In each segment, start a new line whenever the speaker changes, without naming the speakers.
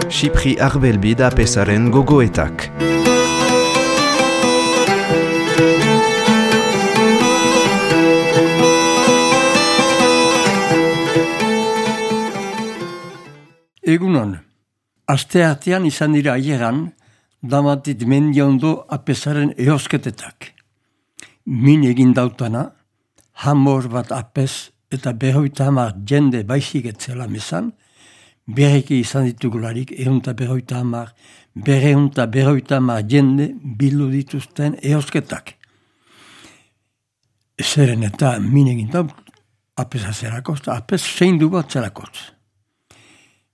Xipri Arbelbi da Apezaren gogoetak.
Egunon, asteartean izan dira aieran, damatit Mendiondo Apezaren eosketetak. Min egin dautana, hamor bat apez eta 50 jende baizik etzela mesan, berriki izan ditugularik 250 jende bildu dituzten eosketak. Zeren eta min egin daut, apez azerakoz, apez seindu bat zerakoz.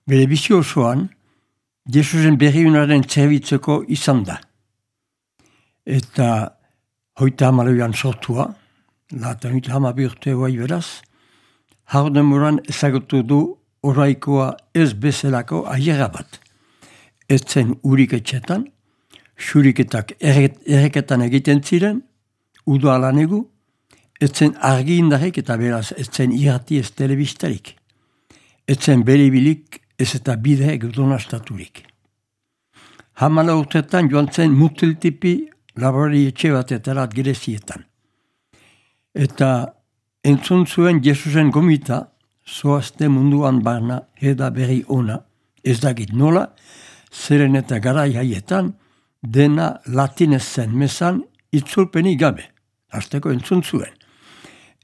Bere bizi osoan, Jesusen berriunaren zerbitzeko izan da. Eta 38an sortua, latan 32 urte guai beraz, hardemuran ezagutu du oraikoa ez bezalako aiera bat. Etzen urik etxetan, xuriketak erreketan egiten ziren, udo alanegu, etzen argi indarek eta beraz etzen irrati ez telebistarik. Etzen beribilik ez eta bide gudonastaturik. Hamala urtetan joan zen mutiltipi laborari etxe bateterat Grezietan. Eta entzun zuen Jesusen gomita, zoazte munduan barna eda berri ona, ez dakit nola, zeren eta garai haietan, dena latinez zen mesan itzulpeni gabe. Hasteko entzun zuen.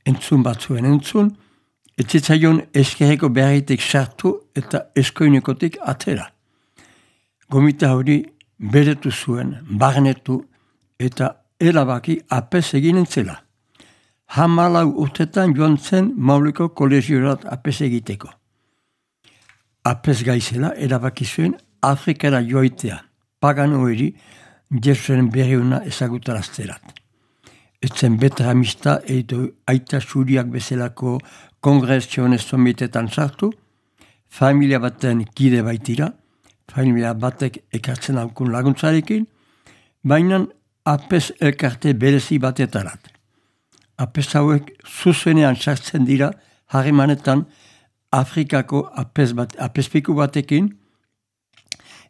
Entzun batzuen entzun, etzitzaion eskerreko beharritik sartu eta eskoinekotik atera. Gomita hori beretu zuen, barnetu eta erabaki apez egin entzela. 14 urtetan joan zen Mauliko kolegiorat apez egiteko. Apez gaizela erabaki zuen Afrikara joitea, pagano hori Jesusen berriuna ezagutarazterat. Etzen beteramista edo aita suriak bezalako kongresiones somitetan sartu, familia baten kide baitira, familia batek ekartzen aukun laguntzarekin, baina apez elkarte berezi batetarat. Apez hauek zuzenean sartzen dira harremanetan Afrikako apezpiku batekin,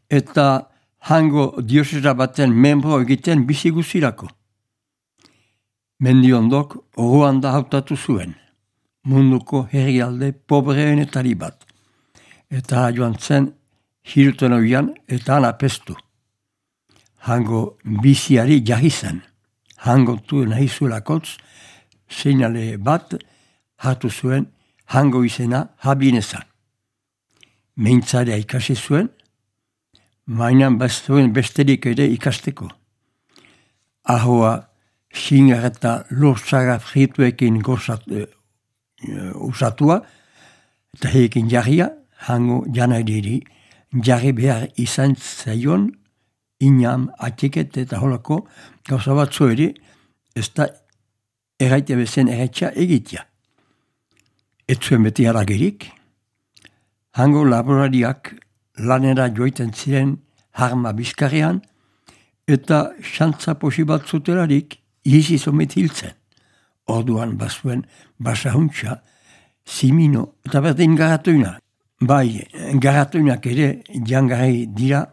eta hango diosera baten membro egiten bizi guzirako. Mendiondok Ruanda hautatu zuen, munduko herrialde pobreenetari bat. Eta joan zen hilton oian eta han apestu. Hango biziari jarri zen. Hango tu nahi zuelakotz, seinale bat hartu zuen hango izena Habineza. Meintzarea ikasi zuen, mainan zuen besterik ere ikasteko. Ahoa xingar eta lortzaga frituekin usatua, eta heekin jarria, hango janaidiri, jarri behar izan zaion, inam, atxiket eta holako, gauza batzu ere, ez da erraite bezen erraitxa egitea. Ez zuen beti haragerik, hango laborariak lanera joiten ziren harma bizkarrean, eta xantza posi bat zutelarik izi zomet hiltzen. Orduan bazuen basahuntza, simino eta berdin garatuina. Bai, garatuinak ere jangarri dira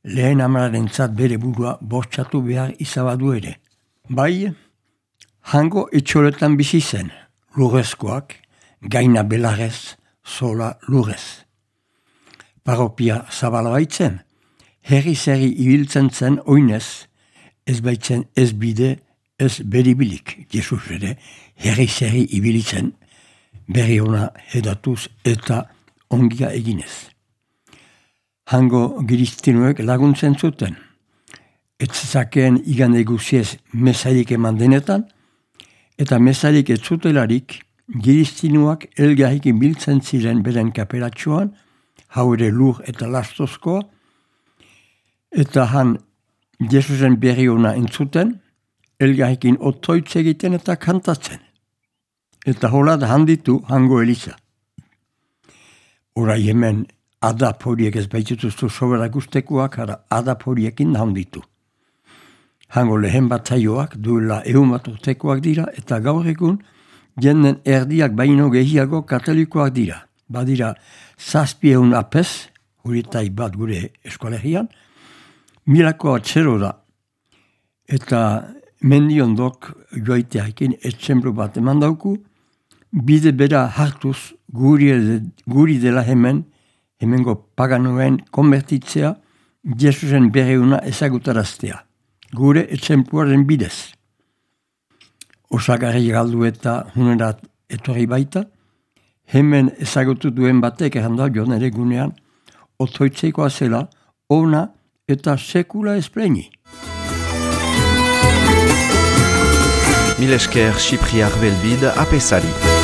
lehen amararen zat bere burua bortxatu behar izabadu ere. Bai, hango etxoletan bizi zen, lurrezkoak, gaina belarrez, sola lurrez. Paropia zabala baitzen, herri-zerri ibiltzen zen oinez, ez baitzen ez bide, ez beribilik. Jesus ere herri-zerri ibilitzen, berri ona edatuz eta ongia eginez. Hango giristinuek laguntzen zuten. Ez zakeen igande guziez mesarik eman denetan, eta mesarik ez zutelarik giristinuak elgarrikin biltzen ziren beren kaperatxoan, hau ere lur eta lastozkoa, eta han Jesusen berri ona entzuten, elgarrikin otoitz egiten eta kantatzen. Eta hola da handitu hango eliza. Horai hemen adap horiek ez baitutuztu sobera guztekoak, adap horiekin handitu. Hango lehen bat zaioak duela 100 bat urtekoak dira, eta gaur egun jenden erdiak baino gehiago katolikoak dira. badira 700 apez, huritai bat gure eskolegian, milako atzero da. Eta mendiondok joiteakin etxemplu bat eman dauku, bide bera hartuz guri dela hemengo paganoen konbertitzea, Jesusen berreuna ezagutaraztea, gure etxempluaren bidez. Osagarri galdu eta hunerat etorri baita, hemen ezagutu duen batek erranda joan ere gunean, otoitzeikoa zela, ona eta sekula espleni.
Mil esker Xipriar Belbid apesari.